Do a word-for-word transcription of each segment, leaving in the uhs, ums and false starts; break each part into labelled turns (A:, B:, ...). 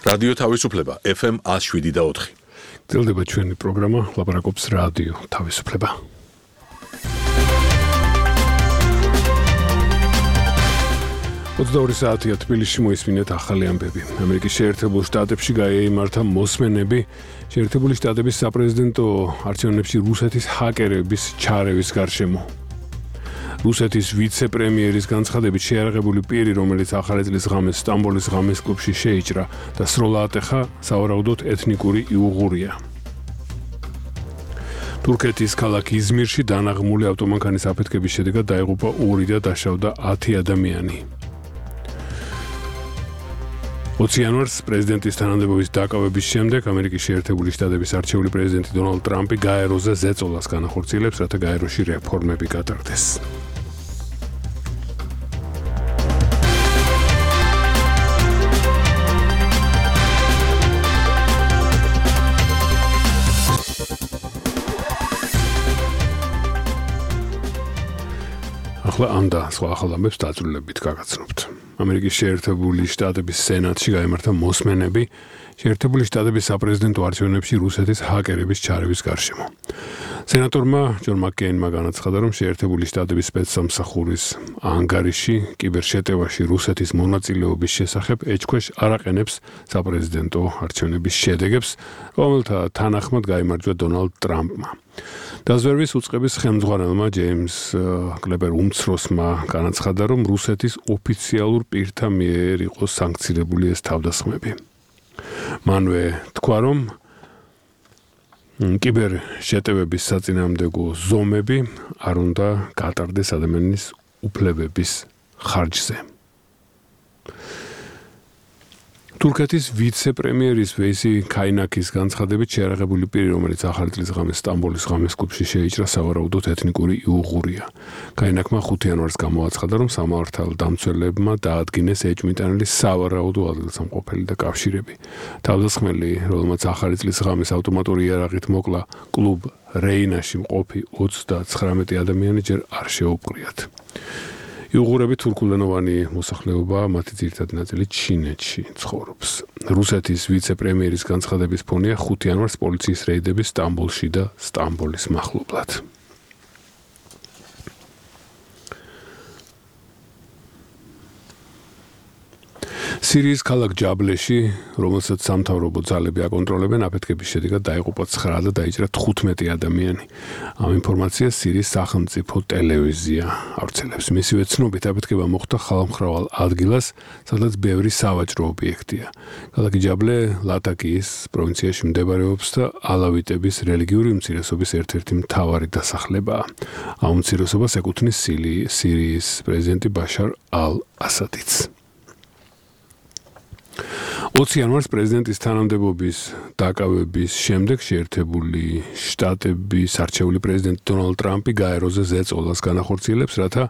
A: რადიო თავისუფლება ეფ ემ one oh seven და four.
B: გრძელდება ჩვენი პროგრამა ლაპარაკობს რადიო თავისუფლება. ოცდაორი საათია თბილისში მოისმინეთ ახალი ამბები. ამერიკის შეერთებულ შტატებში გაიმართა მოსმენები შეერთებული შტატების საპრეზიდენტო არჩევნებში რუსეთის ჰაკერების ჩარევის გარშემო. რუსეთის ვიცე-პრემიერის განცხადებით შეიარაღებული პირი, რომელიც ახალი წლის ღამეს სტამბოლის ღამის კლუბში შეიჭრა და სროლა ატეხა, სავარაუდოდ ეთნიკური იუღურია. თურქეთის ქალაქ იზმირში დანაღმული ავტომანქანის აფეთქების შედეგად დაიღუპა ორი და დაშავდა ათი ადამიანი. ოცი იანვარს პრეზიდენტის თანამდებობის დაკავების შემდეგ ამერიკის შეერთებული შტატების არჩეული პრეზიდენტი დონალდ ტრამპი გაეროზე ზეწოლას განახორციელებს, რათა გაეროში რეფორმები გატარდეს. ახლა ამ და სხვა ახალ ამბებს დაწვრილებით გაგაცნობთ. ამერიკის შეერთებული შტატების სენატში გაიმართა მოსმენები შეერთებული შტატების საპრეზიდენტო არჩევნებში რუსეთის ჰაკერების ჩარევის გარშემო. სენატორმა ჯონ მაკკეინმა განაცხადა, რომ შეერთებული შტატების სპეცსამსახურის ანგარიში კიბერშეტევაში რუსეთის მონაწილეობის შესახებ ეჭქვეშ არ აყენებს საპრეზიდენტო არჩევნების შედეგებს, რომელთა თანახმად გაიმარჯვა დონალდ ტრამპმა. დაზვერვის უწყების ხელმძღვანელმა ჯეიმს კლებერ უმცროსმა განაცხადა, რომ რუსეთის ოფიციალურ პირთა მიერ იყო სანქცირებული ეს თავდასხმები. მანვე თქვა, რომ კიბერშეტევების საწინააღმდეგო ზომები არ უნდა გატარდეს ადამიანის უფლებების ხარჯზე. თურქეთის ვიცე-პრემიერის ვეისი ქაინაქის განცხადებით შეიარაღებული პირი, რომელიც ახალი წლის ღამეს სტამბოლის ღამის კლუბში შეიჭრა, სავარაუდოდ ეთნიკური იუღურია. ქაინაქმა ხუთი იანვარს გამოაცხადა, რომ სამართალდამცველებმა დაადგინეს ეჭვმიტანილი სავარაუდო ადგილსამყოფელი და კავშირები. თავდასხმელი, რომელმაც ახალი წლის ღამეს ავტომატური იარაღით მოკლა კლუბ რეინაში მყოფი ოცდაცხრამეტი ადამიანი ჯერ არ შეუპყრიათ. იუღურები თურქულენოვანი მოსახლეობაა, მათი ძირითადი ნაწილი ჩინეთში ცხოვრობს. რუსეთის ვიცე-პრემიერის განცხადების ფონია ხუთი იანვარს პოლიციის რეიდები სტამბოლში და სტამბოლის მახლობლად. სირიის ქალაქ ჯაბლეში, რომელსაც სამთავრობო ძალები აკონტროლებენ, აფეთქების შედეგად დაიღუპა ცხრა და დაიჭრა თხუთმეტი ადამიანი. ამ ინფორმაციას სირიის სახელმწიფო ტელევიზია ავრცელებს. მისივე ცნობით, აფეთქება მოხდა ხალხმრავალ ადგილას, სადაც ბევრი სავაჭრო ობიექტია. ქალაქი ჯაბლე ლატაკიის პროვინციაში მდებარეობს და ალავიტების რელიგიური უმცირესობის ერთ-ერთი მთავარი დასახლებაა. ამ უმცირესობას ეკუთვნის სირიის პრეზიდენტი ბაშარ ალ-ასადიც. ოცი იანვარს პრეზიდენტის თანამდებობის დაკავების შემდეგ შეერთებული შტატების არჩეული პრეზიდენტი დონალდ ტრამპი გაეროზე ზეწოლას განახორციელებს, რათა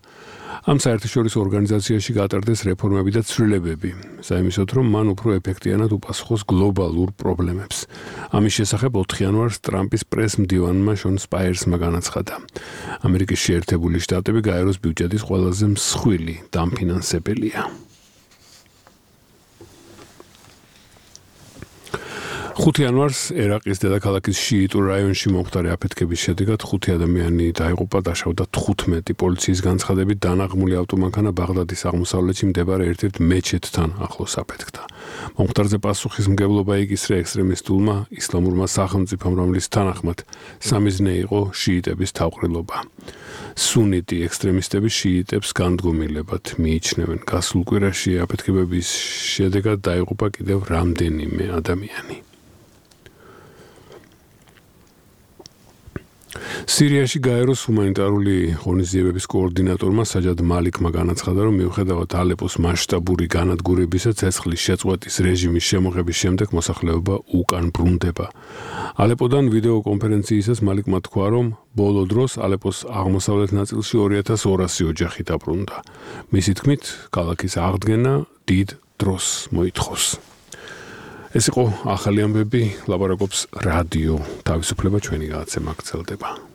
B: ამ საერთაშორისო ორგანიზაციაში გატარდეს რეფორმები და ცვლილებები, საიმისოდ, რომ მან უფრო ეფექტიანად უპასუხოს გლობალურ პრობლემებს. ამის შესახებ ოთხი იანვარს ტრამპის პრეს-მდივანმა შონ სპაიერსმა განაცხადა. ამერიკის შეერთებული შტატები გაეროს ბიუჯეტის ყველაზე მსხვილი დამფინანსებელია. ხუთი იანვარს ერაყის დედაქალაქის შიიტურ რაიონში მომხდარი აფეთქების შედეგად ხუთი ადამიანი დაიღუპა, დაშავდა თხუთმეტი. პოლიციის განცხადებით დანაღმული ავტომანქანა ბაღდადის აღმოსავლეთში მდებარე ერთ-ერთ მეჩეთთან ახლოს აფეთქდა. მომხდარზე პასუხისმგებლობა იკისრა ექსტრემისტულმა ისლამურმა სახელმწიფომ, რომლის თანახმად სამიზნე იყო შიიტების თავყრილობა. სუნიტი ექსტრემისტები შიიტებს განდგომილებად მიიჩნევენ. გასულ კვირაში აფეთქებების შედეგად დაიღუპა კიდევ რამდენიმე ადამიანი. სირიაში გაეროს ჰუმანიტარული ღონისძიებების კოორდინატორმა საჯად მალიკმა განაცხადა, რომ მიუხედავად ალეპოს მასშტაბური განადგურებისა, ცეცხლის შეწყვეტის რეჟიმის შემოღების შემდეგ მოსახლეობა უკან ბრუნდება. ალეპოდან ვიდეო კონფერენციისას მალიკმა თქვა, რომ ბოლო დროს ალეპოს აღმოსავლეთ ნაწილში ორი ათას ორასი ოჯახი დაბრუნდა. მისი თქმით, ქალაქის აღდგენა დიდ დროს მოითხოვს. ეს იყო ახალი ამბები, ლაპარაკობს რადიო თავისუფლება, ჩვენი გადაცემა გრძელდება.